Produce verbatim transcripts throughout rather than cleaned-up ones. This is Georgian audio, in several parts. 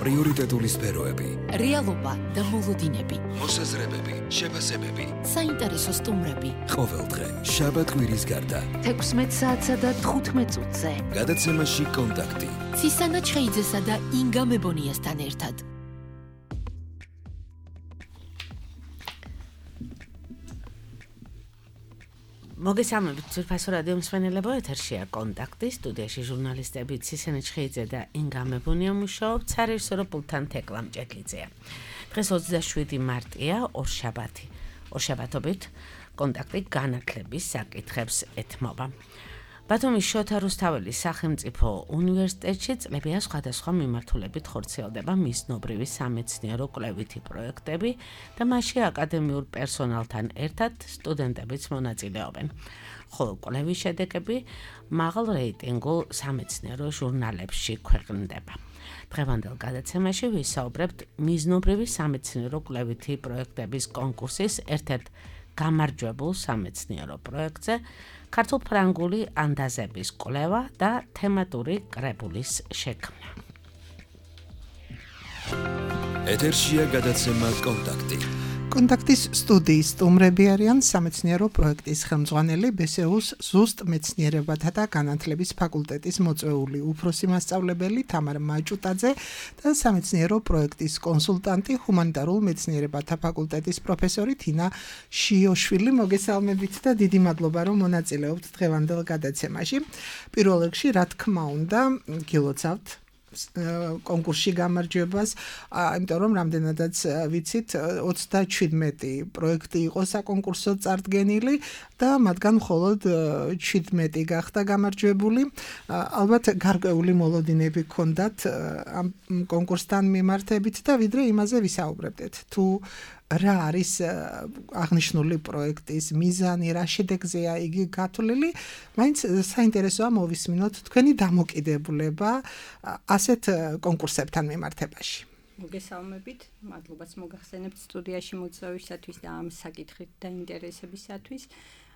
პრიორიტეტული სფეროები, რეალობა და მოლოდინები, მოსაზრებები, შეფასებები, საინტერესო სტუმრები. ყოველდღე შაბათ კვირის გარდა თექვსმეტ საათსა და თხუთმეტ წუთზე გადაცემაში კონტაქტი ცისანა ჩხეიძესა და ინგა მებონიასთან ერთად. მოგესალმებით ძვირფასო რადიო მსმენელებო, ეთერშია კონტაქტი, სტუდიაში ჟურნალისტები ცისანა ჩხეიძე და ინგა მებონია მუშაობთ, სარეჟისორო პულტთან თეკლა მჭედლიძეა. დღეს ოცდაშვიდი მარტია, ორშაბათი. ორშაბათობით კონტაქტი განათლების საკითხებს ეთმობა. ბათუმის შოთა რუსთაველის სახელმწიფო უნივერსიტეტში წლებია სხვადასხვა მიმართულებით ხორციელდება მიზნობრივი სამეცნიერო კვლევითი პროექტები და მასში აკადემიურ პერსონალთან ერთად სტუდენტებიც მონაწილეობენ. ხოლო კვლევის შედეგები მაღალ რეიტინგულ სამეცნიერო ჟურნალებში ქვეყნდება. დღევანდელ გადაცემაში ვისაუბრებთ მიზნობრივი სამეცნიერო კვლევითი პროექტების კონკურსის ერთ-ერთ გამარჯვებულ სამეცნიერო პროექტზე ქართულ-ფრანგული ანდაზების კვლევა და თემატური კრებულის შექმნა. ეთერშია გადაცემა კონტაქტი. კონტაქტის სტუდიის სტუმრები არიან სამეცნიერო პროექტის ხელმძღვანელი ბესეუს ზუსტ მეცნიერებათა და განათლების ფაკულტეტის მოწვეული უფროსი მასწავლებელი თამარ მაჭუტაძე და სამეცნიერო პროექტის კონსულტანტი ჰუმანიტარულ მეცნიერებათა ფაკულტეტის პროფესორი თინა შიოშვილი. მოგესალმებით და დიდი მადლობა რომ მონაწილეობთ დღევანდელ გადაცემაში. პირველ რიგში რა თქმა უნდა გილოცავთ კონკურსში გამარჯვებას, იმიტომ რომ რამდენადაც ვიცით ოცდაჩვიდმეტი პროექტი იყო საკონკურსო წარდგენილი და მათგან მხოლოდ ჩვიდმეტი გახდა გამარჯვებული. ალბათ გარკვეული მოლოდინები ჰქონდათ ამ კონკურსთან მიმართებით და ვიდრე იმაზე ვისაუბრებდეთ. თუ რა არის აღნიშნული პროექტის მიზანი, რა შედეგზეა იგი გათვლილი, მაინც საინტერესოა მოვისმინოთ თქვენი დამოკიდებულება ასეთ კონკურსებთან მიმართებაში. მოგესალმებით, მადლობაც მოგახსენებთ სტუდიაში მოწვევისათვის და ამ საკითხით დაინტერესებისათვის.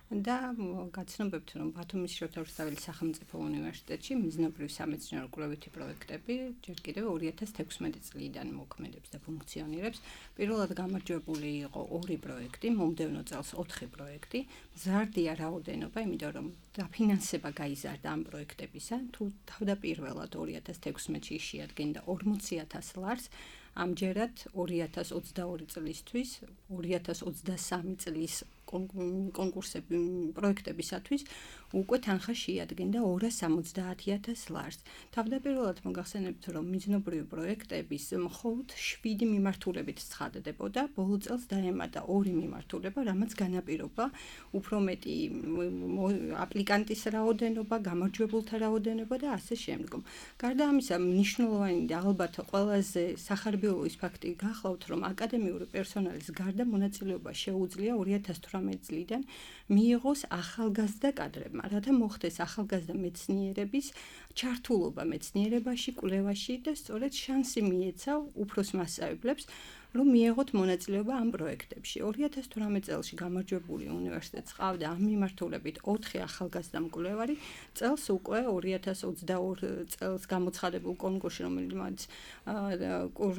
და გაცნობებთ რომ ბათუმის შოთა რუსთაველის სახელმწიფო უნივერსიტეტში მიზნობრივი სამეცნიერო კვლევითი პროექტები ჯერ კიდევ ორი ათას თექვსმეტი წლიდან მოქმედებს და ფუნქციონირებს. პირველად გამარჯვებული იყო ორი პროექტი, მომდევნო წელს ოთხი პროექტი. მზარდია რაოდენობა, იმიტომ რომ დაფინანსება გაიზარდა ამ პროექტებისა. თუ თავდაპირველად ორი ათას თექვსმეტში შეადგენდა ორმოცი ათას ლარს, ამჯერად ორი ათას ოცდაორი წლისთვის, ორი ათას ოცდასამი წლის კონკურსები პროექტებისათვის უკვე თანხა შეადგენდა ორას სამოცდაათი ათას ლარს. თავდაპირველად მოგახსენებთ რომ მიზნობრივი პროექტების მხოლოდ შვიდი მიმართულებით ცხადდებოდა, ბოლო წელს დაემატა ორი მიმართულება, რამაც განაპირობა უფრო მეტი აპლიკანტის რაოდენობა, გამარჯვებულთა რაოდენობა და ასე შემდგომ. გარდა ამისა, მნიშვნელოვანი და ალბათ ყველაზე სახარბიელოის ფაქტი გახლავთ, რომ აკადემიური პერსონალის გარდა მონაწილეობა შეუძლია ორი ათას თვრამეტი წლიდან მიიღოს ახალგაზრდა კადრებმა, რათა მოხდეს ახალგაზრდა მეცნიერების ჩართულობა მეცნიერებაში, კვლევაში და სწორედ შანსი მიეცა უფროს მასწავლებლებს, რომ მიეღოთ მონაწილეობა ამ პროექტებში. ორი ათას თვრამეტი წელში გამარჯვებული უნივერსიტეტს ყავდა ამ მიმართულებით ოთხი ახალგაზრდა მკვლევარი. წელს უკვე ორი ათას ოცდაორ წელს გამოცხადებულ კონკურსში, რომელიც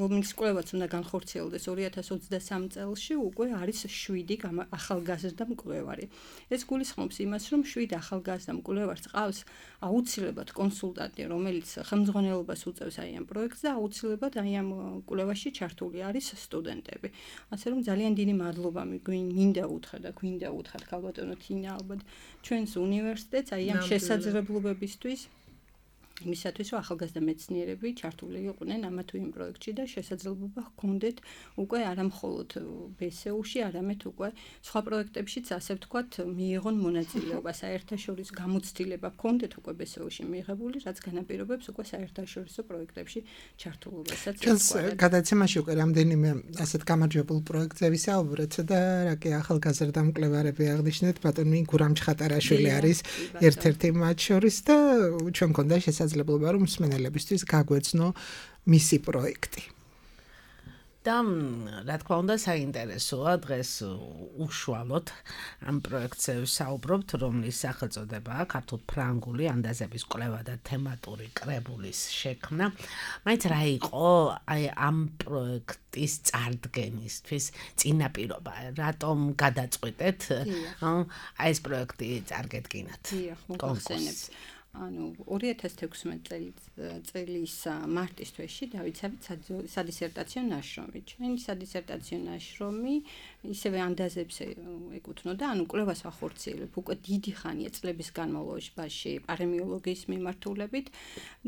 რომელიც კვლევაც უნდა განხორციელდეს ორი ათას ოცდასამ წელში, უკვე არის შვიდი ახალგაზრდა მკვლევარი. ეს გულისხმობს იმას, რომ შვიდ ახალგაზრდა მკვლევარს ყავს აუცილებლად კონსულტანტი, რომელიც ხელმძღვანელობას უწევს აი ამ პროექტს და აუცილებლად აი ამ კვლევაში ჩართული არის სტუდენტები. ასე რომ ძალიან დიდი მადლობა მინდა უთხრა და გვინდა უთხრა ქალბატონო თინა ალბათ ჩვენს უნივერსიტეტს აი ამ შესაძლებლობებისთვის. იმისათვის რომ ახალგაზრდა მეცნიერები ჩართული იყვნენ ამა თუ იმ პროექტში და შესაძლებლობა ჰქონდეთ უკვე არა მხოლოდ ბესეუში, არამედ უკვე სხვა პროექტებშიც ასე ვთქვათ მიიღონ მონაწილეობა. საერთაშორისო გამოცდილება ჰქონდეთ უკვე ბესეუში მიიღებული, რაც განაპირობებს უკვე საერთაშორისო პროექტებში ჩართულობასაც. ჩვენს გადაცემაში უკვე რამდენიმე ასეთ გამარჯვებულ პროექტზე ვისაუბრეთ და რა კი ახალგაზრდა მკვლევარები აღნიშნეთ, ბატონი გურამ ჩხატარაშვილი არის ერთ-ერთი მათ შორის და ჩვენ გქონდა შესაძლებლობა რომ მსმენელებისთვის გაგვეცნო მისი პროექტი. და რა თქმა უნდა საინტერესოა დღეს უშუალოდ ამ პროექტზე ვსაუბრობთ, რომლის სახელწოდებაა ქართულ-ფრანგული ანდაზების კვლევა და თემატური კრებულის შექმნა. მაინც რა იყო აი ამ პროექტის წარდგენისთვის წინაპირობა, რატომ გადაწყვეტეთ აი ეს პროექტი წარგედგინათ? დიახ, მოგახსენებთ. ანუ ორი ათას თექვსმეტი წლის მარტის თვეში დავიცავით სადისერტაციო ნაშრომი. ჩვენი სადისერტაციო ნაშრომი ისევე ანდაზებს ეკუთვნოდა, ანუ კვლევას ახორციელებ უკვე დიდი ხანია წლების განმავლობაში პარემიოლოგიის მიმართულებით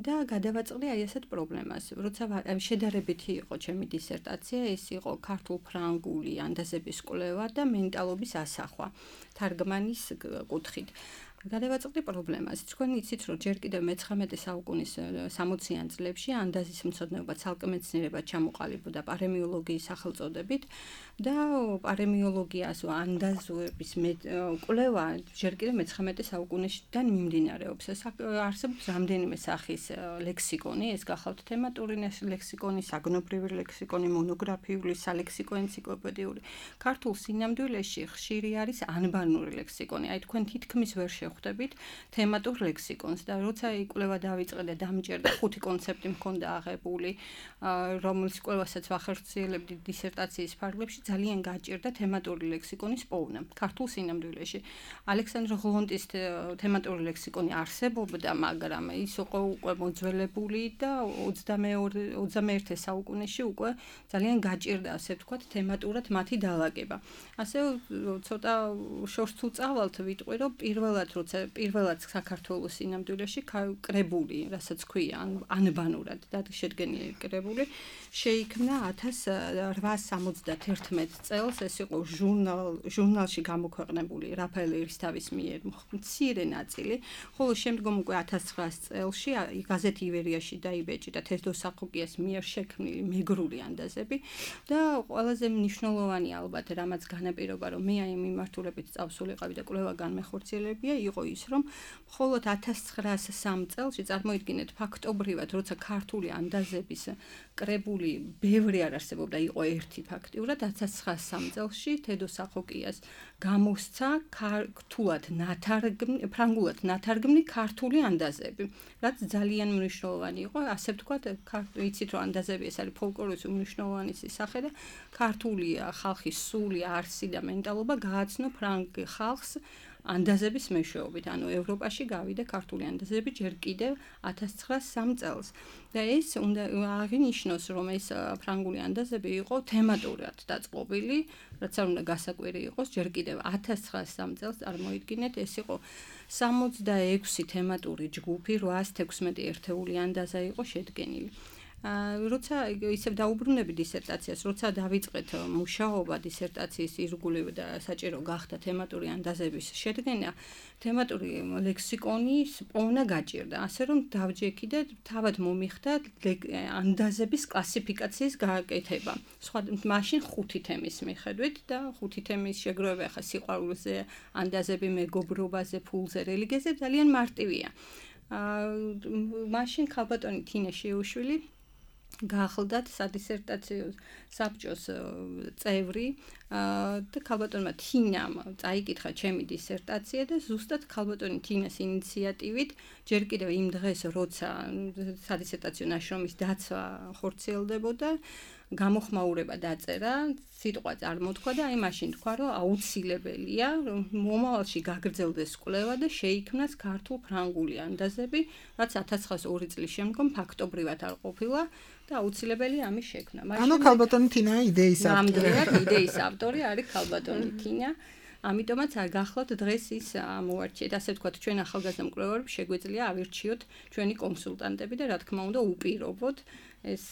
და გადავაწყდი აი ასეთ პრობლემას. როცა შედარებითი იყო ჩემი დისერტაცია, ეს იყო ქართულ-ფრანგული ანდაზების კვლევა და მენტალობის ასახვა თარგმანის კუთხით. გადავაწყდი პრობლემას. თქვენ იცით, რომ ჯერ კიდევ მეცხრამეტე საუკუნის სამოციან წლებში ანდაზის მცოდნეობა ცალკე მეცნიერებად ჩამოყალიბდა პარემიოლოგიის სახელწოდებით და პარემიოლოგიას ანდაზების კვლევა ჯერ კიდევ მეცხრამეტე საუკუნიდან მიმდინარეობს. არსებობს რამდენიმე სახის ლექსიკონი, ეს გახავთ თემატური ლექსიკონი, საგნობრივი ლექსიკონი, მონოგრაფიული, სალექსიკო ენციკლოპედიური. ქართულ სინამდვილეში ხშირი არის ანბანური ლექსიკონი. აი თქვენ თითქმის ვერ ხვდებით თემატურ ლექსიკონს და როცა იკვლევა დავიწყე და დამჭერდა ხუთი კონცეპტი მქონდა აღებული, რომლის კვლევასაც ვახორციელებდი დისერტაციის ფარგლებში, ძალიან გაჭირდა თემატური ლექსიკონის პოვნა ქართულ სინამდვილეში. ალექსანდრე ღლონტის თემატური ლექსიკონი არსებობდა, მაგრამ ის იყო უკვე მოძველებული და ოცდამეერთე საუკუნეში უკვე ძალიან გაჭირდა, ასე ვთქვათ, თემატურად მათი დალაგება. ასე ცოტა შორს თუ წავალთ, ვიტყვი, რომ პირველად როცა პირველად საქართველოს სინამდვილეში კრებული, რასაც ქვია, ანბანურად და შედგენილი კრებული, შეიქმნა ათას რვაასი სამოცდაათი წელს, ეს იყო ჟურნალ ჟურნალში გამოქვეყნებული რაფაელ ერისთავის მიერ მცირე ნაწილი, ხოლო შემდგომ უკვე ათას ცხრაასი წელში გაზეთი ივერიაში დაიბეჭდა თედო სახოკიას მიერ შექმნილი მეგრული ანდაზები და ყველაზე მნიშვნელოვანი ალბათ რამაც განაპირობა, რომ მე აი მიმართულებით წავსულიყავი და კვლევა განმეხორციელებია იყო ის, რომ მხოლოდ ათას ცხრაასი სამი წელში წარმოიდგინეთ ფაქტობრივად, როცა ქართული ანდაზების კრებული ბევრი არ არსებობდა, იყო ერთი ფაქტიურად, ათას ცხრაასი სამი წელში თედო სახოკიას გამოსცა ქართულად ნათარგმნი, ფრანგულად ნათარგმნი ქართული ანდაზები, რაც ძალიან მნიშვნელოვანი იყო, ასე ვთქვათ, იცით რომ ანდაზები ეს არის ფოლკლორის უმნიშვნელოვანი სახე და ქართული ხალხის სული, არსი და მენტალობა გააცნო ფრანგ ხალხს ანდაზების მეშვეობით, ანუ ევროპაში გავიდა ქართული ანდაზები ჯერ კიდევ ათას ცხრაასი სამი წელს. და ეს უნდა აღინიშნოს, რომ ეს ფრანგული ანდაზები იყო თემატურად დაწყობილი, რაც არ უნდა გასაკვირი იყოს, ჯერ კიდევ ათას ცხრაასი სამი წელს წარმოიდგინეთ, ეს იყო სამოცდაექვსი თემატური ჯგუფი, რვაასი თექვსმეტი ერთეული ანდაზა იყო შედგენილი. როცა ისევ დაუბრუნები დისერტაციას, როცა დავიწყეთ მუშაობა დისერტაციის ირგვლივ და საჭირო გახდა თემატური ანდაზების შედგენა, თემატური ლექსიკონის პოვნა გაჭირდა, ასე რომ დავჯექი და თავად მომიხდა ანდაზების კლასიფიკაციის გაკეთება. სხვა მაშინ ხუთი თემის მიხედვით და ხუთი თემის შეგროვება ხა სიყვარულზე, ანდაზები მეგობრობაზე, ფულზე, რელიგიაზე ძალიან მარტივია. მაშინ ხალბატონი თინა შეუშვილი გახლდათ სადისერტაციო საბჭოს წევრი და ხალბატონმა თინამ წაიკითხა ჩემი დისერტაცია და ზუსტად ხალბატონი თინას ინიციატივით ჯერ კიდევ იმ დღეს, როცა სადისერტაციო ნაშრომის დაცვა ხორციელდებოდა, გამოხმაურება დაწერა, სიტყვა წარმოთქვა და აი მაშინ თქვა, რომ აუცილებელია მომავალში გაგრძელდეს კვლევა და შეიქმნას ქართულ-ფრანგული ანდაზები, რაც ათას ცხრაასი ორი წლის შემდგომ ფაქტობრივად არ ყოფილა და აუცილებელია ამის შექმნა. ანუ ხალბატონი თინა იდეის ავტორი. ნამდვილად იდეის ავტორი არის ხალბატონი თინა. ამიტომაც გახლავთ დღეს ის ამოვარჩიეთ, ასე ვთქვათ, ჩვენ ახალგაზრდა მკვლევარებს შეგვეძლია ავირჩიოთ ჩვენი კონსულტანტები და რა თქმა უნდა უპირობოთ ეს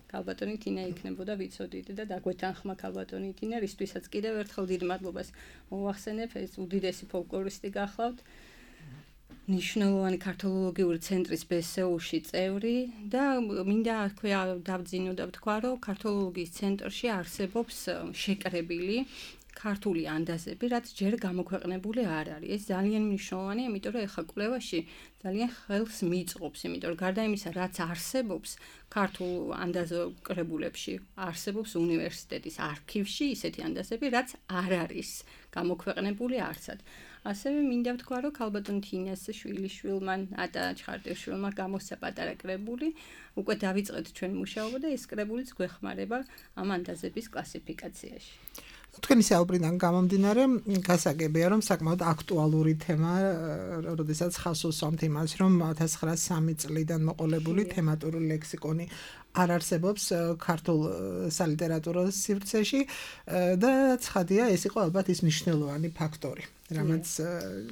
ხალბატონი თინა იქნებოდა ვიცოდით და დაგვეთანხმა ხალბატონი თინა, რისთვისაც კიდევ ერთხელ დიდ მადლობას მოვახსენებ, ეს უდიდესი ფოლკლორისტი გახლავთ. ნიშნულოვანი ქართოლოგიური ცენტრის ბე ეს უ-ში წევრი და მინდა დავძინო და ვთქვა, რომ ქართოლოგიის ცენტრში არსებობს შეკრებილი ქართული ანდაზები, რაც ჯერ გამოქვეყნებული არ არის. ეს ძალიან მნიშვნელოვანია, იმიტომ რომ ეხლა კვლევაში ძალიან ხელს მიწყობს, იმიტომ რომ გარდა იმისა, რაც არსებობს ქართულ ანდაზო კრებულებში, არსებობს უნივერსიტეტის არქივში ისეთი ანდაზები, რაც არ არის გამოქვეყნებული არცად. ასევე მინდა ვთქვა, რომ ქალბატონ თინას შვილიშვილმა, ატა ჩხარტიშვილმა გამოსცა პატარა კრებული, უკვე დავიწყეთ ჩვენი მუშაობა და ეს კრებულიც გვეხმარება ამ ანდაზების კლასიფიკაციაში. თქვენი საუბრიდან გამომდინარე, გასაგებია, რომ საკმაოდ აქტუალური თემა, როდესაც ხაზს უსვამთ იმას, რომ ათას ცხრაასი სამი წლიდან მოყოლებული თემატური ლექსიკონი არ არსებობს ქართულ სალიტერატურო სივრცეში და ცხადია, ეს იყო ალბათ ის მნიშვნელოვანი ფაქტორი, რამაც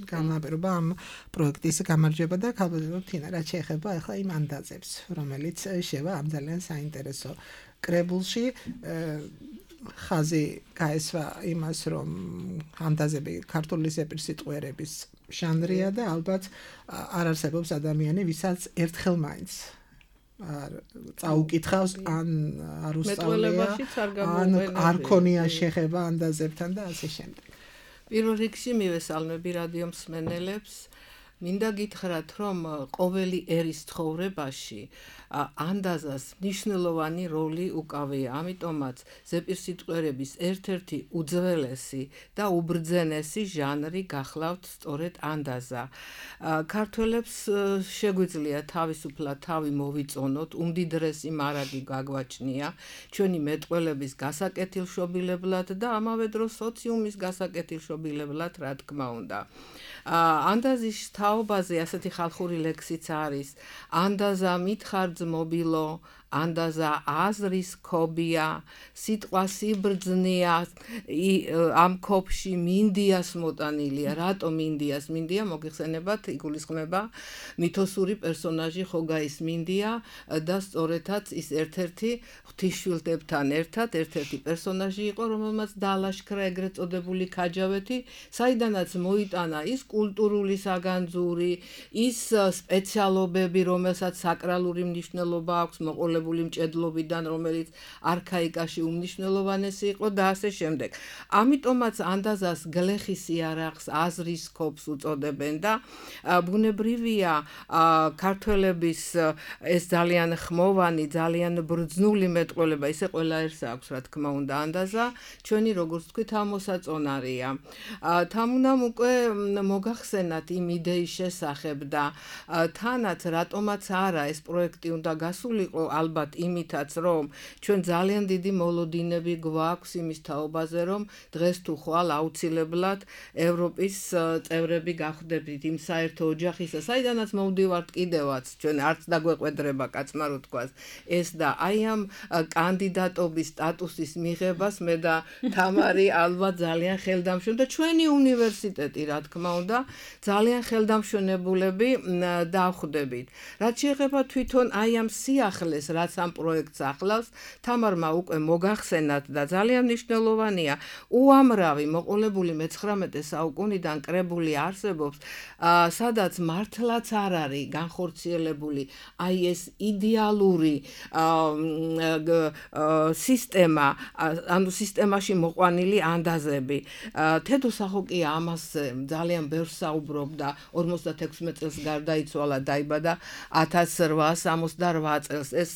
განაპირობა ამ პროექტის გამარჯვება და ქალბატონ თინა, რაც შეეხება ახლა იმ ანდაზებს, რომელიც შევა ამ ძალიან საინტერესო კრებულში. ხაზი გაესვა იმას, რომ ანდაზები ქართული ზეპირსიტყვიერების ჟანრია და ალბათ არ არსებობს ადამიანი, ვისაც ერთხელ მაინც არ წაუკითხავს ან არ უსწავლია, ან არ ქონია შეხება ანდაზებთან და ასე შემდეგ. პირველ რიგში მივესალმები რადიო მსმენელებს. მინდა გითხრათ, რომ ყოველი ერის ცხოვრებაში ანდაზას მნიშვნელოვანი როლი უკავია, ამიტომაც ზეპირსიტყვიერების ერთ-ერთი უძველესი და უბრძენესი ჟანრი გახლავთ სწორედ ანდაზა. ქართველებს შეგვიძლია თავისუფლად თავი მოვიწონოთ, უმდიდრესი მარაგი გაგვაჩნია ჩვენი მეტყველების გასაკეთილშობილებლად და ამავე დროს სოციუმის გასაკეთილშობილებლად, რა თქმა უნდა. ანდაზის თაობაზე ასეთი ხალხური ლექსიც არის. ანდაზა მითხარძმობილო, ანდაზა აზრის ქობია, სიტყვა სიბრძნეა, ამ ქობში მინდიას მოტანილია. რატომ მინდიას? მინდია მოგიხსენებათ, იგულისხმება მითოსური პერსონაჟი ხოგაის მინდია და სწორედაც ის ერთ-ერთი ღვთისშვილდებთან ერთად ერთ-ერთი პერსონაჟი იყო, რომელმაც დაალაშქრა ეგრეთ წოდებული ქაჯავეთი, საიდანაც მოიტანა ის კულტურული საგანძური, ის სპეციალობები, რომელსაც საკრალური მნიშვნელობა აქვს მოყოლებული მჭედლობიდან, რომელიც არქაიკაში უმნიშვნელოვანესი იყო და ასე შემდეგ. ამიტომაც ანდაზას გლეხის იარაღს, აზრის ქობს უწოდებენ და ბუნებრივია ქართველების ეს ძალიან ხმოვანი, ძალიან ბრძნული მეტყველება, ისე ყველა ერთს აქვს, რა თქმა უნდა, ანდაზა, ჩვენი როგორც თქვით, ამოსაწონარია. თამუნამ უკვე მოგახსენათ იმ იდეის შესახებ და თანაც რატომაც არა ეს პროექტი უნდა გასულიყო, ალბათ იმითაც, რომ ჩვენ ძალიან დიდი მოლოდინები გვაქვს იმის თაობაზე, რომ დღეს თუ ხვალ აუცილებლად ევროპის წევრები გავხდებით იმ საერთო ოჯახისა, საიდანაც მოვდივართ კიდევაც, ჩვენ არც დაგვეყვედრება კაცმა რო თქვას ეს და აი ამ კანდიდატობის სტატუსის მიღებას მე და თამარი ალბათ ძალიან ხელდამშვენ და ჩვენი უნივერსიტეტი, რა თქმა უნდა, ძალიან ხელდამშვენებულები დავხვდებით. რაც შეეხება თვითონ აი ამ სიახლეს, რაც ამ პროექტს ახლავს, თამარმა უკვე მოგახსენათ და ძალიან მნიშვნელოვანია, უამრავი მოყოლებული მეცხრამეტე საუკუნიდან კრებული არსებობს, სადაც მართლაც არ არის განხორციელებული აი ეს იდეალური სისტემა, ანუ სისტემაში მოყვანილი ანდაზები. თედო სახოკია ამას ძალიან ბევრს საუბრობდა, ორმოცდათექვსმეტ წელს გარდაიცვალა, დაიბადა ათას რვაასი ოცდაოთხ წელს. ეს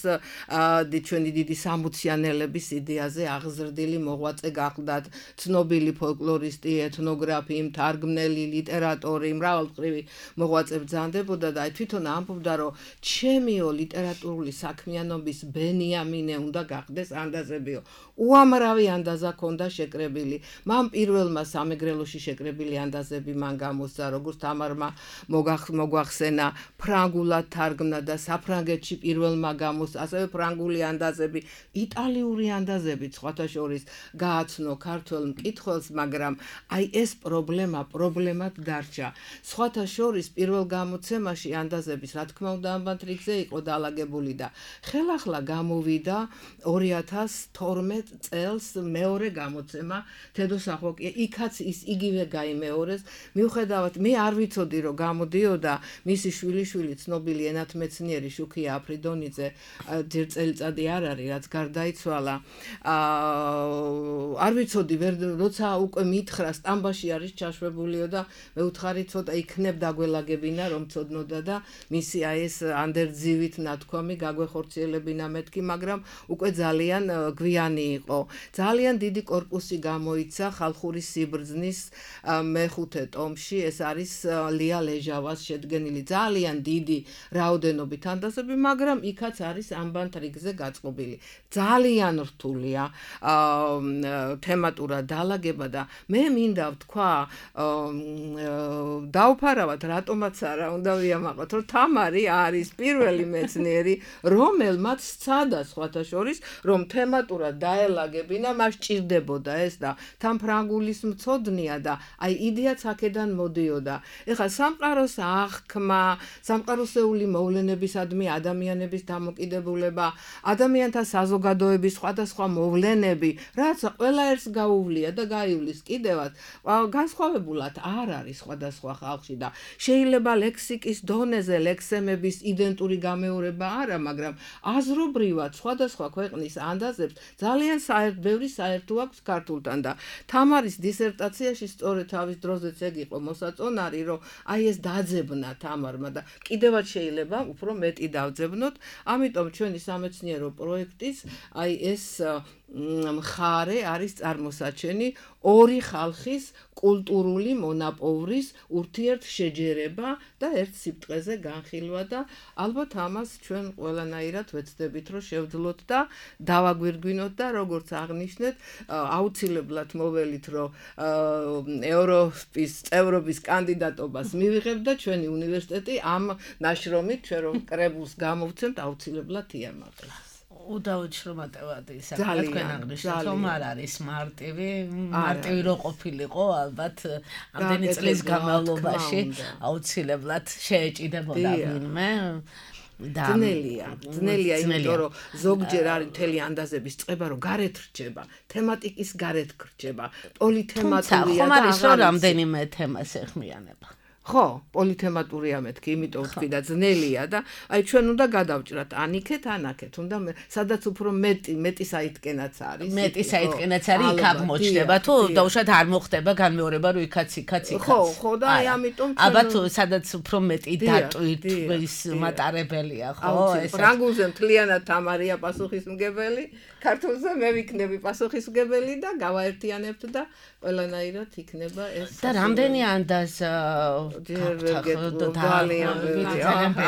ჩვენი დიდი სამუციანელების იდეაზე აღზრდილი მოღვაწე გახლდათ, ცნობილი ფოლკლორისტი, ეთნოგრაფი, მთარგმნელი, ლიტერატორი, მრავალმხრივი მოღვაწე ბრძანდებოდა და თვითონ ამბობდა, რომ ჩემიო ლიტერატურული საქმიანობის ბენიამინე უნდა გახდეს ანდაზებიო. უამრავი ანდაზა ქონდა შეკრებილი. მან პირველმა სამეგრელოში შეკრებილი ანდაზები მან გამოსცა, როგორც თამარმა მოგვახსენა, ფრანგულად თარგმნა და საფრანგეთში პირველმა გამოსცა, ასევე ფრანგული ანდაზები, იტალიური ანდაზები სხვათა შორის გააცნო ქართველ მკითხველს, მაგრამ აი ეს პრობლემა პრობლემად დარჩა. სხვათა შორის პირველ გამოცემაში ანდაზების, რა თქმა უნდა, ამბათ რიგზე იყო დაალაგებული და ხელახლა გამოვიდა ორი ათას თორმეტ წელს მეორე გამოცემა თედო სახოკია. იქაც ის იგივე გაიმეორეს, მიუხედავად მე არ ვიცოდი, რომ გამოდიოდა მისი შვილიშვილი, ცნობილი ენათმეცნიერი შუქია აფრიდონიძე ჯერ წელიწადი არ არის, რაც გარდაიცვალა. აა არ ვიცოდი, ვერ როცა უკვე მითხრა სტამბაში არის ჩაშვებულიო და მე ვთხარი ცოტა იქნებ დაგველაგებინა რომ ცოდნოდა და მისი აი ეს ანდერძივით ნათქვამი გაგვეხორციელებინა მეთქი, მაგრამ უკვე ძალიან გვიანი იყო. ძალიან დიდი კორპუსი გამოიცა ხალხური სიბრძნის მეხუთე ტომში, ეს არის ლია ლეჟავას შედგენილი ძალიან დიდი რაოდენობით ანდაზები, მაგრამ იქაც არის ამბანთრიგზე გაწყობილი. ძალიან რთულია თემატურად დალაგება და მე მინდა ვთქვა, დავფარავად რატომაც არა უნდა ვიამაყოთ, რომ თამარი არის პირველი მეცნიერი, რომელმაც სცადა სხვათა შორის, რომ თემატურად დაელაგებინა, მას ჭირდებოდა ეს და თან ფრანგულის მცოდნია და აი იდეაც აქედან მოდიოდა. ეხლა სამყაროს აღქმა, სამყაროსეული მოვლენებისადმი ადამიანების დამოკიდებულება, ადამიანთა საზოგადოების სხვადასხვა მოვლენები, რაც ყველა ერთს გაუვლია და გაივლის კიდევაც, განსხვავებულად არ არის სხვადასხვა ხალხში და შეიძლება ლექსიკის დონეზე ლექსემების იდენტური გამეორება არა, მაგრამ აზრობრივად სხვადასხვა ქვეყნის ანდაზებს ძალიან საერთო ბევრი საერთო აქვს ქართულთან და თამარის დისერტაციაში სწორედ თავის დროზეც ეგ იყო მოსაწონარი, რომ აი ეს დაძებნა თამარმა და კიდევაც შეიძლება უფრო მეტი დავძებნოთ, ამიტომ ჩვენი სამეცნიერო პროექტის აი ეს მხარე არის წარმოსაჩენი ორი ხალხის კულტურული მონაპოვრის ურთიერთშეჯერება და ერთ სიბრტყეზე განხილვა და ალბათ ამას ჩვენ ყველანაირად ვეცდებით რომ შევძლოთ და დავაგვირგვინოთ და როგორც აღნიშნეთ აუცილებლად მოველით რომ ევროპის წევრობის კანდიდატობას მივიღებთ და ჩვენი უნივერსიტეტი ამ ნაშრომით ჩვენ რომ კრებულს გამოვცემთ აუცილებლად იამაყებს. უდავოდ შრომატევადი საკითხი თქვენ აღნიშნეთ, რომ არ არის მარტივი, მარტივი რო ყოფილიყო, ალბათ ამდენი წლის განმავლობაში აუცილებლად შეეჭიდებოდა ვინმე. ძნელია, ძნელია, იმიტომ რომ ზოგჯერ არის მთელი ანდაზების წება, რომ გარეთ რჩება, თემატიკის გარეთ რჩება, პოლითემატურია და ხომ არის რომ რამდენიმე თემას ეხმიანება. ხო, პოლითემატურია მეთქი, იმიტომ ვთქვი და ძნელია და აი ჩვენ უნდა გადავჭრათ ანიქეთ, ანაქეთ, უნდა სადაც უფრო მეტი, მეტი საიტკენაც არის. მეტი საიტკენაც არის, იქ აღმოჩნდება, თუ დაუშვათ არ მოხდება განმეორება, რომ იქაც იქაც იქაც. ხო, ხო და აი ამიტომ ალბათ სადაც უფრო მეტი დატვირთ ის მატარებელია, ხო? ეს ფრანგულზე მთლიანად თამარია პასუხისმგებელი, ქართულზე მე ვიქნები პასუხისმგებელი და გავაერთიანებთ და ყველანაირად იქნება ეს. და რამდენი ანდაზ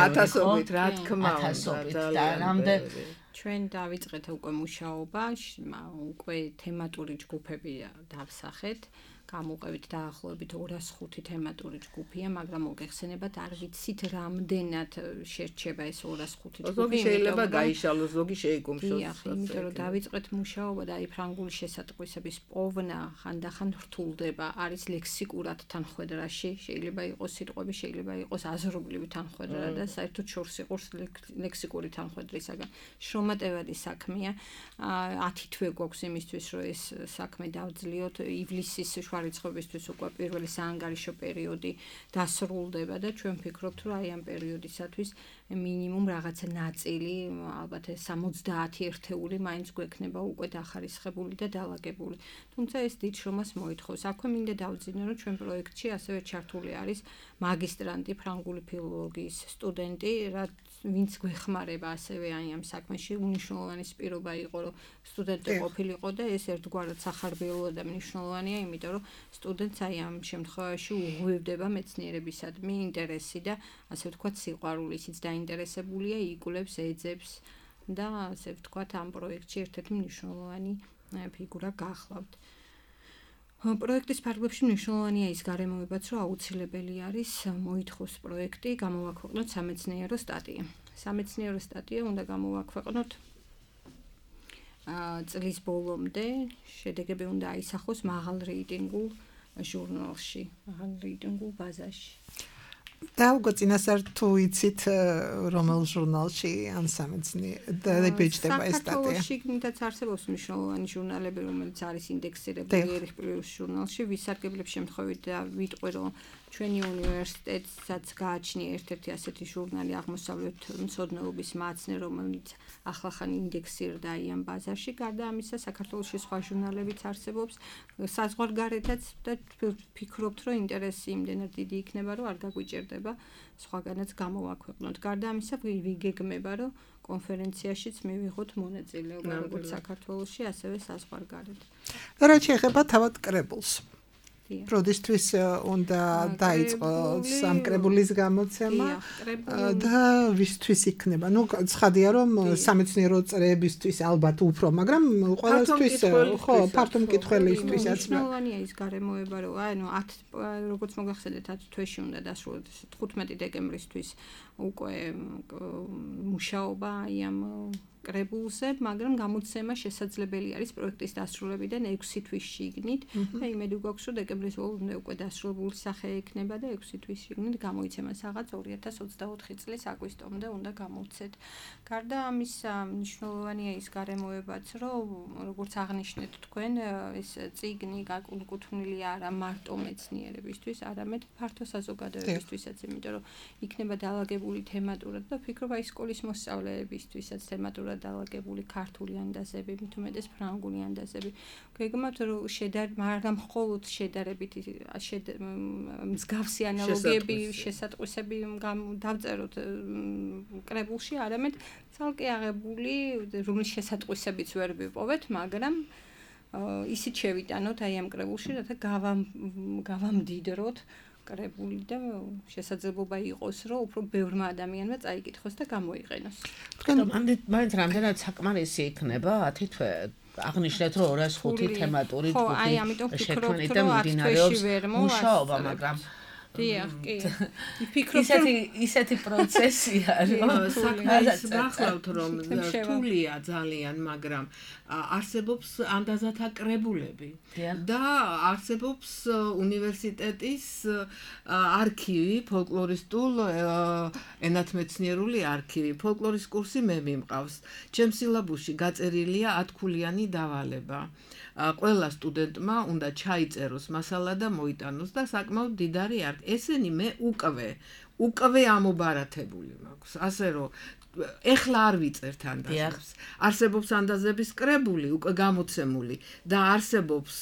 ათასობით რა თქმა უნდა. ჩვენ დავიწყეთ უკვე მუშაობა, უკვე თემატური ჯგუფები დავსახეთ. გამოვყევით დაახლოებით ორას ხუთი თემატური ჯგუფია, მაგრამ მოგეხსენებათ, არ ვიცით რამდენად შერჩება ეს ორას ხუთი ჯგუფი. ზოგი შეიძლება გაიშალოს, ზოგი შეიკუმშოს. დიახ, იმიტომ რომ დავიწყეთ მუშაობა და აი ფრანგული შესატყვისების პოვნა ხანდახან რთულდება, არის ლექსიკურად თანხwebdriverში, შეიძლება იყოს სიტყვები, შეიძლება იყოს აზრობრივი თანხwebdriver და საერთოდ შორს იყოს ლექსიკური თანხwebdriverისაგან. შრომატევადი საქმეა, ათი თვე გვაქვს იმისთვის, რომ ეს საქმე დავძლიოთ, ივლისის რიცხვებისთვის უკვე პირველი საანგარიშო პერიოდი დასრულდება და ჩვენ ვფიქრობთ, რომ აი ამ პერიოდისათვის მინიმუმ რაღაცა ნაწილი, ალბათ სამოცდაათი ერთეული მაინც გვექნება უკვე დახარისხებული და დალაგებული. თუმცა ეს დიდ შრომას მოითხოვს. აქვე მინდა დავძინო, რომ ჩვენ პროექტში ასევე ჩართული არის მაგისტრანტი ფრანგული ფილოლოგიის სტუდენტი, რაც ვინც გვეხმარება ასევე აი ამ საქმეში. უნიშნულოვანი პირობა იყო, რომ სტუდენტი ყოფილიყო და ეს ერთგვარად სახარბიელოა და მნიშვნელოვანია, იმიტომ რომ სტუდენტს აი ამ შემთხვევაში უღვივდება მეცნიერებისადმი ინტერესი და ასე ვთქვათ სიყვარული, ისიც დაინტერესებულია, იკვლევს, ეძებს და ასე ვთქვათ ამ პროექტში ერთ-ერთი მნიშვნელოვანი ფიგურა გახლავთ. პროექტის ფარგლებში მნიშვნელოვანია ის გარემოებაც, რომ აუცილებელი არის მოითხოვს პროექტი გამოვაქვეყნოთ სამეცნიერო სტატია. სამეცნიერო სტატია უნდა გამოვაქვეყნოთ წლის ბოლომდე, შედეგები უნდა აისახოს მაღალ რეიტინგულ ჟურნალში, მაღალ რეიტინგულ ბაზაში. და უკვე წინასწარ თუ იცით რომელ ჟურნალში ან სამეცნიერო დაიბეჭდება ეს სტატია? საქართველოში კიდაც არსებობს მნიშვნელოვანი ჟურნალები, რომელიც არის ინდექსირებული ერიხ პლუს ჟურნალში, ვისარგებლებს შემთხვევით და ვიტყვი, რომ ჩვენი უნივერსიტეტსაც გააჩნია ერთ-ერთი ასეთი ჟურნალი აღმოსავლეთ მცოდნეობის მაცნე, რომელიც ახლახან ინდექსირდა ამ ბაზარში. გარდა ამისა, საქართველოში სხვა ჟურნალებიც არსებობს, საზღვარგარეთაც და ვფიქრობთ, რომ ინტერესი იმდენად დიდი იქნება, რომ არ გაგვიჭირდება სხვაგანაც გამოვაქვეყნოთ. გარდა ამისა, ვიგეგმება, რომ კონფერენციაშიც მივიღოთ მონაწილეობა როგორც საქართველოში, ასევე საზღვარგარეთ. რაც შეეხება თავად კრებულს. როდისთვის უნდა დაიწყო სამკრებულის გამოცემა და ვისთვის იქნება? ნუ ცხადია რომ სამეცნიერო წრეებისთვის ალბათ უფრო, მაგრამ ყველასთვის ხო, ფართო მკითხველისთვისაც მნიშვნელოვანია ის გარემოება, რომ ანუ ათ როგორც მოგახსენეთ ათ თვეში უნდა დასრულდეს თხუთმეტი დეკემბრისთვის უკვე მუშაობა ამ კრებულზე, მაგრამ გამოცემა შესაძლებელი არის პროექტის დასრულებიდან ექვსი თვის შიგნით და იმედი გვაქვს, რომ დეკემბრის ბოლომდე უკვე დასრულებული სახე ექნება და ექვსი თვის შიგნით გამოიცემა რაღაც ორი ათას ოცდაოთხი წლის აგვისტომდე უნდა გამოვცეთ. გარდა ამისა, მნიშვნელოვანია ის გარემოებაც, რომ როგორც აღნიშნეთ თქვენ, ეს წიგნი გაკუთვნილი არა მარტო მეცნიერებისთვის, არამედ ფართო საზოგადოებისთვისაც, იმიტომ რომ იქნება დაალაგებული თემატურად და ვფიქრობ, აი სკოლის მოსწავლეებისთვისაც თემატურად დაალაგებული ქართული ანდაზები, მით უმეტეს ფრანგული ანდაზები. გეგმავთ, რომ შედარ, მაგრამ მხოლოდ შედარებით მსგავსი ანალოგიები, შესატყვისები დავწეროთ კრებულში, არამედ ცალკე აღებული, რომლის შესატყვისებიც ვერ ვიპოვეთ, მაგრამ ისიც შევიტანოთ აი ამ კრებულში, რათა გავამდიდროთ კრებული და შესაძლებლობა იყოს, რომ უფრო ბევრმა ადამიანმა წაიკითხოს და გამოიყენოს. თქვენ მაინც რამდენად საკმარისი იქნება ათი თვე? აღნიშნეთ, რომ ორას ხუთი თემატური ჯგუფი შექმნით და მიმდინარეობს მუშაობა, მაგრამ დიახ, კი. ვფიქრობ, ისეთი ისეთი პროცესია, რომ საქმეს გახლავთ, რომ რთულია ძალიან, მაგრამ არსებობს ანდაზათა კრებულები და არსებობს უნივერსიტეტის არქივი, ფოლკლორისტულ ენათმეცნიერული არქივი. ფოლკლორის კურსი მე მიმყავს. ჩემს სილაბუსში გაწერილია ათქულიანი დავალება. ყველა სტუდენტმა უნდა ჩაიწეროს მასალა და მოიტანოს და საკმაოდ დიდარი არქივი. ესენი მე უკვე უკვე ამობარათებული მაქვს. ასე რომ ეხლა არ ვიწერთ ანდაზებს. არსებობს ანდაზების კრებული, უკვე გამოცემული და არსებობს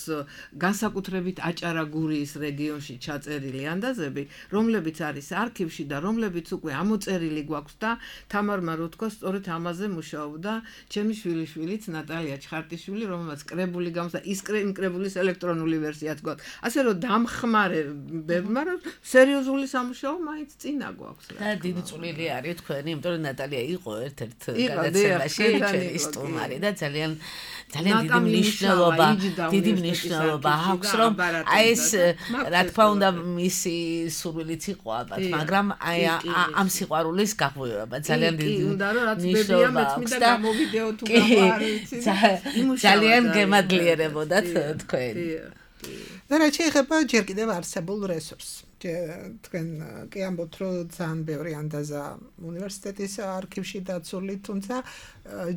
განსაკუთრებით აჭარა-გურიის რეგიონში ჩაწერილი ანდაზები, რომლებიც არის არქივში და რომლებიც უკვე ამოწერილი გვაქვს და თამარმა რო თქვა, სწორედ ამაზე მუშაობდა ჩემი შვილიშვილიც ნატალია ჩხარტიშვილი, რომელმაც კრებული გამოსცა, ის კრებულის ელექტრონული ვერსიაც გვაქვს. ასე რომ დამხმარებებმა, რომ სერიოზული სამუშაო მაინც წინა გვაქვს. და დიდი წვლილი არის თქვენი, იმიტომ რომ ნატალია იყო ერთ-ერთ გადაცემაში ჩვენი სტუმარი და ძალიან ძალიან დიდი მნიშვნელობა, დიდი მნიშვნელობა აქვს, რომ აი ეს რა თქმა უნდა მისი სურვილიც იყო ალბათ, მაგრამ აი ამ სიყვარულის გაღვივება ძალიან დიდი მნიშვნელობა აქვს და ძალიან გემადლიერებოდათ თქვენ. და რა შეიძლება ჯერ კიდევ არსებულ რესურსს. თქვენ კი ამბობთ, რომ ძალიან ბევრი ანდაზა უნივერსიტეტის არქივში დაცული, თუმცა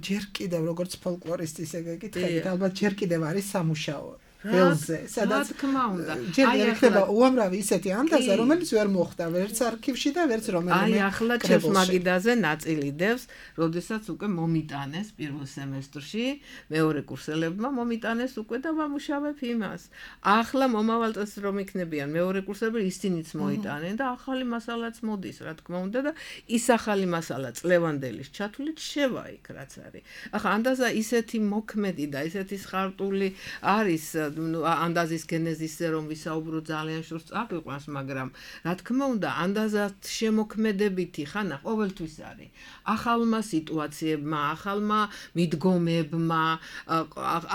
ჯერ კიდევ როგორც ფოლკლორისტის ეგ ეკითხებით, ალბათ ჯერ კიდევ არის სამუშაო ველზე, სადაც თქმა უნდა. ჯერ იქნება უამრავი ისეთი ანდაზა, რომელიც ვერ მოხდა ვერც არქივში და ვერც რომელიმე. აი ახლა ჩემს მაგიდაზე ნაწილი დევს, როდესაც უკვე მომიტანეს პირველ სემესტრში, მეორე კურსელებმა მომიტანეს უკვე და ვამუშავებ იმას. ახლა მომავალ წელს რომ იქნებიან მეორე კურსები, ისინიც მოიტანენ და ახალი მასალაც მოდის, რა თქმა უნდა და ის ახალი მასალა წლევანდელის ჩათვლით შევა იქ რაც არის. ახლა ანდაზა ისეთი მოქმედი და ისეთი სხარტული არის ანდაზის გენეზისზე რომ ვისაუბრო ძალიან შორს წაგვიყვანს, მაგრამ რა თქმა უნდა ანდაზად შემოქმედებითი ხანა ყოველთვის არის ახალმა სიტუაციებმა, ახალმა მიდგომებმა,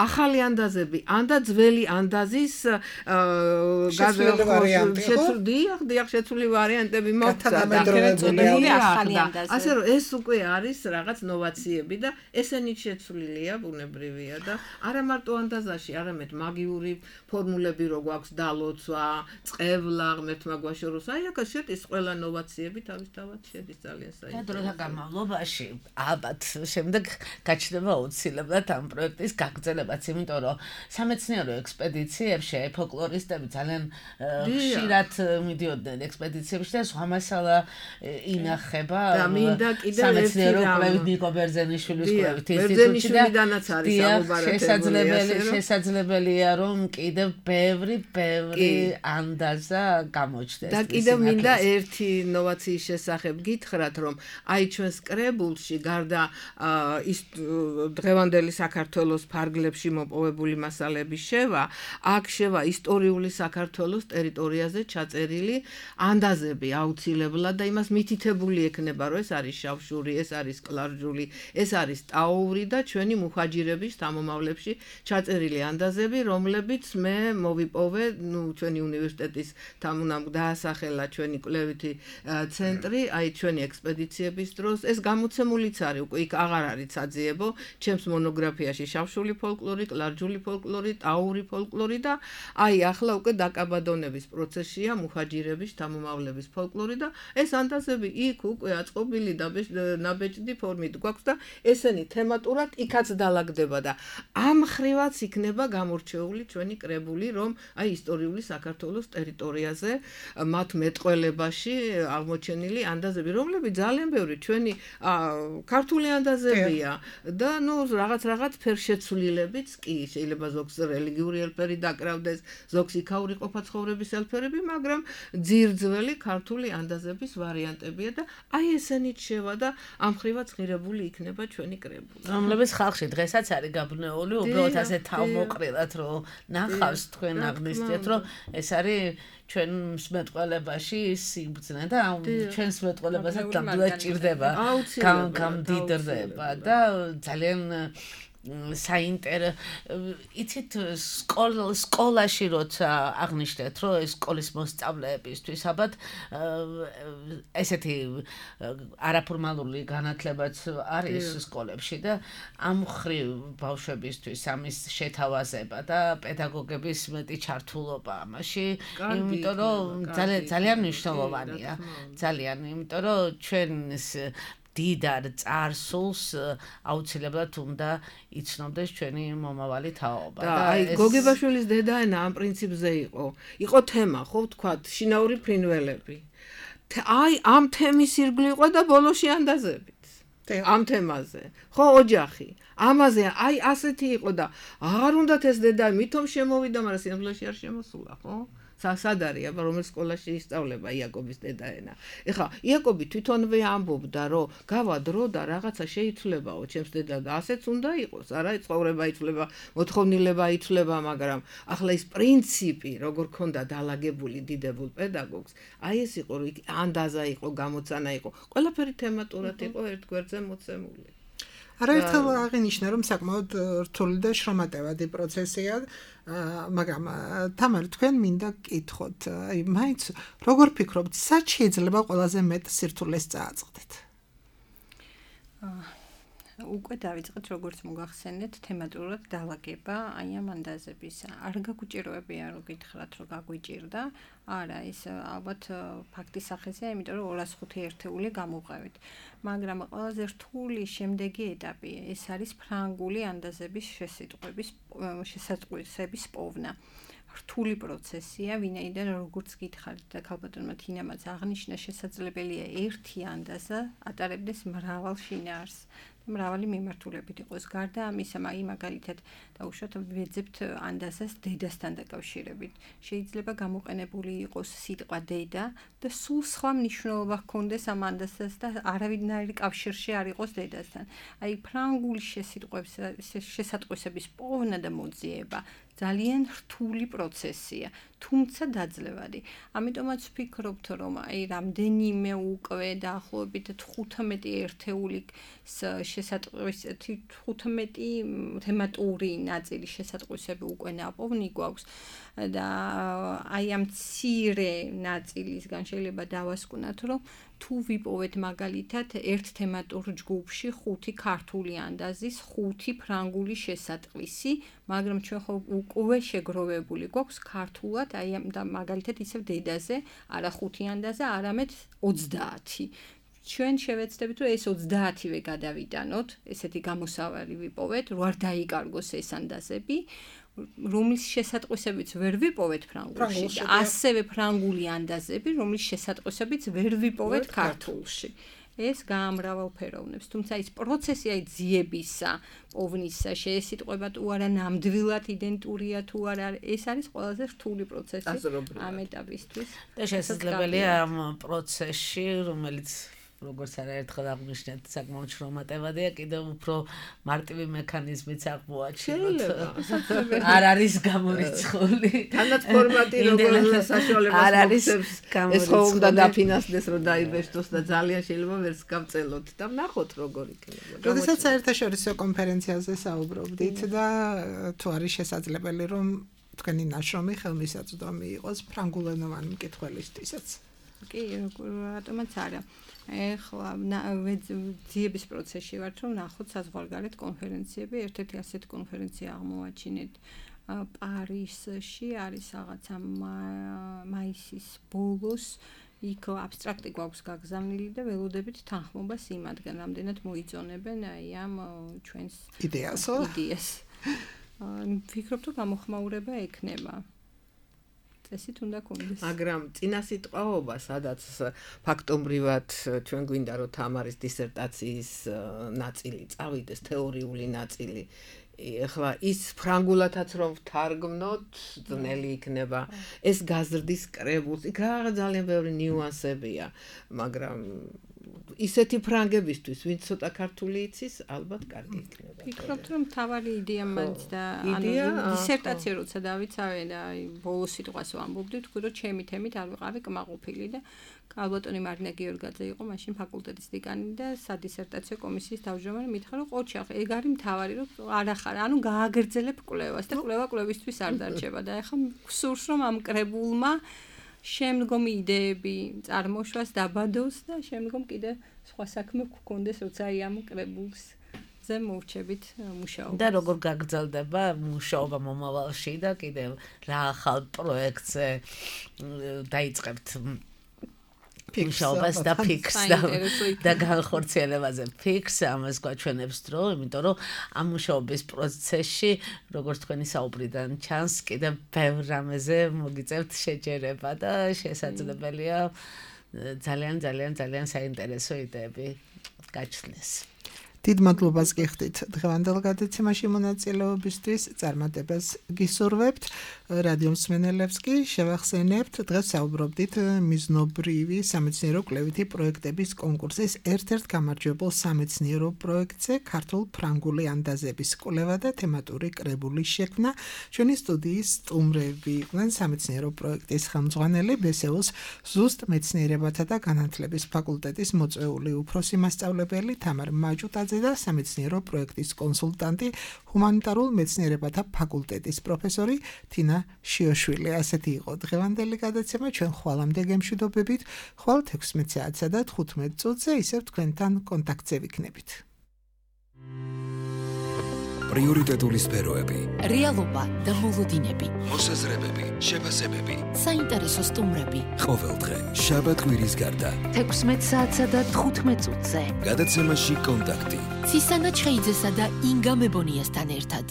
ახალი ანდაზები, ანდა ძველი ანდაზის შეცვლილი ვარიანტი, დიახ, დიახ, შეცვლილი ვარიანტები მოხდა და ახალი ანდაზი. ასე რომ ეს უკვე არის რაღაც ნოვაციები და ესენი შეცვლილია, ბუნებრივია და არა მარტო ანდაზაში, არამედ მაგი გეომეტრიული ფორმულები რო გვაქვს დალოცვა, წყევლა, ღმერთმა გვაშოროს. აი აქ შედის ყველა ნოვაციები თავისთავად შედის ძალიან საინტერესო. და დროთა განმავლობაში ალბათ შემდეგ გაჩნდება აუცილებლად ამ პროექტის გაგრძელებაც, იმიტომ რომ სამეცნიერო ექსპედიციებში აი ფოლკლორისტები ძალიან ხშირად მიდიოდნენ ექსპედიციებში და სხვა მასალა ინახება და მინდა კიდევ სამეცნიერო კვლევით ნიკო ბერძენიშვილის კვლევით ბერძენიშვილიდანაც არის ამობარათებული. შესაძლებელი შესაძლებელია რომ კიდევ ბევრი ბევრი ანდაზა გამოჩნდეს. და კიდევ მინდა ერთი ინოვაციის შესახებ გითხრათ, რომ აი ჩვენს კრებულში გარდა ის დღევანდელი საქართველოს ფარგლებში მოპოვებული მასალების შევა, აქ შევა ისტორიული საქართველოს ტერიტორიაზე ჩაწერილი ანდაზები აუცილებლად და იმას მითითებული ექნება, რომ ეს არის შავშური, ეს არის კლარჯული, ეს არის ტაური და ჩვენი მუხაჯირების თამომავლებში ჩაწერილი ანდაზები, რომლებიც მე მოვიპოვე, ნუ ჩვენი უნივერსიტეტის თამუნამ დაასახელა ჩვენი კვლევითი ცენტრი, აი ჩვენი ექსპედიციების დროს. ეს გამოცემულიც არის, უკვე იქ აღარ არის საძიებო, ჩემს მონოგრაფიაში შავშული ფოლკლორი, კლარჯული ფოლკლორი, ტაური ფოლკლორი და აი ახლა უკვე დაკაბადონების პროცესია მუხაჯირების თამომავლების ფოლკლორი და ეს ანდაზები იქ უკვე აწყობილი და ნაბეჭდი ფორმით გვაქვს და ესენი თემატურად იქაც დალაგდება და ამ ხრივაც იქნება გამორჩეული ჩვენი კრებული, რომ აი ისტორიული საქართველოს ტერიტორიაზე მათ მეტყველებაში აღმოჩენილი ანდაზები, რომლებიც ძალიან ბევრი ჩვენი ქართული ანდაზებია და ნუ რაღაც რაღაც ფერშეცვლილებიც კი შეიძლება ზოგს რელიგიური ელფერი დაკრავდეს, ზოგს იქაური ყოფაცხოვრების ელფერები, მაგრამ ძირძველი ქართული ანდაზების ვარიანტებია და აი ესენიც შევა და ამ ხრივაც ღირებული იქნება ჩვენი კრებული. რომლებიც ხალხში დღესაც არის გაბნეული, უბრალოდ ასე თავმოყრილად რომ ნახავს თქვენ აღნიშნეთ, რომ ეს არის ჩვენს მეტყველებაში სიბრძნე და ჩვენს მეტყველებასაც ნამდვილად ჭირდება, გამდიდრდება და ძალიან საინტერესო იცით სკოლაში როცა აღნიშნეთ რომ ეს სკოლის მოსწავლეებისთვის ალბათ ესეთი არაფორმალური განათლებაც არის სკოლებში და ამ ხრივ ბავშვებისთვის ამის შეთავაზება და პედაგოგების მეტი ჩართულობა ამაში, იმიტომ რომ ძალიან მნიშვნელოვანია, ძალიან, იმიტომ რომ ჩვენს დიდარ წარსულს აუცილებლად უნდა იცნობდეს ჩვენი მომავალი თაობა. და აი გოგებაშვილის დედაენა ამ პრინციპზე იყო. იყო თემა, ხო ვთქვათ, შინაური ფრინველები. აი ამ თემის ირგვლივ იყო და ბოლოში ანდაზებით. ამ თემაზე. ხო ოჯახი. ამაზე აი ასეთი იყო და აღარ უნდათ ეს დედა მithom შემოვიდა, მაგრამ სინამდვილეში არ შემოსულა, ხო? სად არის, აბა რომელ სკოლაში ისწავლება იაკობის დედაენა. ეხლა იაკობი თვითონვე ამბობდა, რომ გავა დრო და რაღაცა შეიცვლებაო ჩემს დედა და ასეც უნდა იყოს. არა, ცხოვრება იცვლება, მოთხოვნილება იცვლება, მაგრამ ახლა ის პრინციპი, როგორ ქონდა დალაგებული დიდებულ პედაგოგს, აი ეს იყო, რომ ანდაზა იყო, გამოცანა იყო, ყველაფერი თემატურად იყო ერთ გვერდზე მოცემული. არაერთხელ აღინიშნა, რომ საკმაოდ რთული და შრომატევადი პროცესია, მაგრამ თამარ, თქვენ მინდა გკითხოთ, აი მაინც როგორ ფიქრობთ, სად შეიძლება ყველაზე მეტ სირთულეს წააწყდეთ? უკვე დავიწყეთ, როგორც მოგახსენეთ, თემატურად დალაგება აი ამ ანდაზების. არ გაგუჭიროებია, რომ გითხრათ, რომ გაგვიჭირდა. არა, ის ალბათ ფაქტის სახეზეა, იმიტომ რომ ორას ხუთი ერთეული გამოვყევით. მაგრამ ყველაზე რთული შემდეგი ეტაპი, ეს არის ფრანგული ანდაზების შესიტყვების შესატყვისების პოვნა. რთული პროცესია, ვინაიდან როგორც გითხარით და ქალბატონმა თინამაც აღნიშნა, შესაძლებელია ერთი ანდაზა ატარებდეს მრავალ შინაარსს. მრავალი მიმართულებით იყოს. გარდა ამისა, აი მაგალითად დაუშვათ ვეძებთ ანდაზას დედასთან დაკავშირებით. შეიძლება გამოყენებული იყოს სიტყვა დედა და სულ სხვა მნიშვნელობა ჰქონდეს ამ ანდაზას და არავითარი კავშირში არ იყოს დედასთან. აი ფრანგული შესატყვისების პოვნა და მოძიება ძალიან რთული პროცესია, თუმცა დაძლევადი. ამიტომაც ვფიქრობთ, რომ აი რამდენიმე უკვე დაახლოებით თხუთმეტი ერთეულის შესატყვისები თხუთმეტი თემატური ნაწილი შესატყვისები უკვე ნაპოვნი გვაქვს და აი ამ მცირე ნაწილისგან შეიძლება დავასკვნათ, რომ თუ ვიპოვეთ მაგალითად ერთ თემატურ ჯგუფში ხუთი ქართული ანდაზის, ხუთი ფრანგული შესატყვისი, მაგრამ ჩვენ ხო უკვე შეგროვებული გვაქვს ქართულად, აი ამ და მაგალითად ისევ დედაზე, არა ხუთი ანდაზა, არამედ ოცდაათი. ჩვენ შევეცდებით, რომ ეს ოცდაათივე გადავიტანოთ, ესეთი გამოსავალი ვიპოვეთ, რო არ დაიკარგოს ეს ანდაზები, რომლის შესატყვისებიც ვერ ვიპოვეთ ფრანგულში, ასევე ფრანგული ანდაზები, რომლის შესატყვისებიც ვერ ვიპოვეთ ქართულში. ეს გაამრავალფეროვნებს, თუმცა ის პროცესი აი ძიებისა, პოვნისა, შეესიტყვება თუ არა ნამდვილად იდენტურია თუ არა, ეს არის ყველაზე რთული პროცესი ამ ეტაპისთვის. და შესაძლებელია ამ პროცესში, რომელიც როგორც არაერთხელ აღნიშნეთ, საკმაოდ შრომატევადია, კიდევ უფრო მარტივი მექანიზმიც აღმოაჩინოთ. არ არის გამორიცხული. თანაც ფორმატი როგორც საშუალებას მოგვცემს. ეს ხო უნდა დაფინანსდეს, რომ დაიბეჭდოს და ძალიან შეიძლება ვერც გავწელოთ და ვნახოთ როგორ იქნება. როდესაც საერთაშორისო კონფერენციაზე საუბრობდით და თუ არის შესაძლებელი, რომ თქვენი ნაშრომი ხელმისაწვდომი იყოს ფრანგულენოვანი მკითხველისთვისაც. კი, რატომაც არა. ეხლა ძიების პროცესში ვართ, რომ ნახოთ საზღვარგარეთ კონფერენციები, ერთ-ერთი ასეთი კონფერენცია აღმოაჩინეთ პარიზში, არის რაღაცა მაისის ბოლოს, იქ აბსტრაქტი გვაქვს გაგზავნილი და ველოდებით თანხმობას იმადგან, რამდენად მოიწონებენ აი ამ ჩვენს იდეასო? იდეას. ვფიქრობ, რომ გამოხმაურება ექნება. ესეთ უნდა კონდეს. მაგრამ წინასიტყვაობა, სადაც ფაქტობრივად ჩვენ გვინდა რომ თამარის დისერტაციის ნაწილი წავიდეს, თეორიული ნაწილი. ეხლა ის ფრანგულათაც რომ ვთარგმნოთ, ძნელი იქნება. ეს გაზრდის კრებულს, იქ რაღაც ძალიან ბევრი ნიუანსებია, მაგრამ ისეთი ფრანგებისთვის, ვინც ცოტა ქართული იცის, ალბათ კარგი იქნება. ვფიქრობ, რომ თავარი იდეა მაინც და ანუ დისერტაცია როცა დავიცავე და აი ბოლოს სიტყვას ვამბობდი, თქვი რომ ჩემი თემით არ ვიყავი კმაყოფილი და ალბათონი მარინა გიორგაძე იყო მაშინ ფაკულტეტის დეკანი და სადისერტაციო კომისიის თავმჯდომარე, მითხრა რომ ყოჩახ, ეგ არის მთავარი, რომ არ ახარ, ანუ გააგრძელებ კვლევას და კვლევა კვლევისთვის არ დარჩება და ეხლა გსურს რომ ამ კრებულმა შემდგომი იდეები წარმოშვას დაბადოს და შემდგომ კიდე სხვა საქმე გქონდეს, როცა აი ამ კრებულს ზე მოვჩებით მუშაობა. და როგორ გაგრძელდება მუშაობა მომავალში და კიდევ რა ახალ პროექტზე დაიწყებთ მუშაობას და ფიქს და განხორციელებაზე ფიქს ამას გვაჩვენებს დრო, იმიტომ რომ ამ მუშაობის პროცესში, როგორც თქვენი საუბრიდან ჩანს, კიდევ ბევრ რამეზე მოგიწევთ შეჯერება და შესაძლებელია ძალიან ძალიან ძალიან საინტერესო იდეები გაჩნდეს. დიდ მადლობას გიხდით დღევანდელ გადაცემაში მონაწილეობისთვის, წარმატებას გისურვებთ. რადიო მსმენელებს კი შევახსენებთ, დღეს საუბრობდით მიზნობრივი სამეცნიერო კვლევითი პროექტების კონკურსის ერთ-ერთ გამარჯვებულ სამეცნიერო პროექტზე ქართულ-ფრანგული ანდაზების კვლევა და თემატური კრებულის შექმნა. ჩვენი სტუდიის სტუმრები იყვნენ სამეცნიერო პროექტის ხელმძღვანელი ბე ეს იუს ზუსტ მეცნიერებათა და განათლების ფაკულტეტის მოწვეული უფროსი მასწავლებელი თამარ მაჭუტაძე და სამეცნიერო პროექტის კონსულტანტი, ჰუმანიტარულ მეცნიერებათა ფაკულტეტის პროფესორი თინა შიოშვილი. ასეთი იყო დღევანდელი გადაცემა, ჩვენ ხვალამდე გემშვიდობებით, ხვალ თექვსმეტ საათსა და თხუთმეტ წუთზე ისევ თქვენთან კონტაქტზე ვიქნებით. პრიორიტეტული სფეროები, რეალობა და მოლოდინები, მოსაზრებები, შეფასებები, საინტერესო სტუმრები. ყოველდღე შაბათ-კვირის გარდა თექვსმეტ საათსა და თხუთმეტ წუთზე. გადაცემაში კონტაქტი. ცისანა ჩხეიძესა და ინგა მებონიასთან ერთად.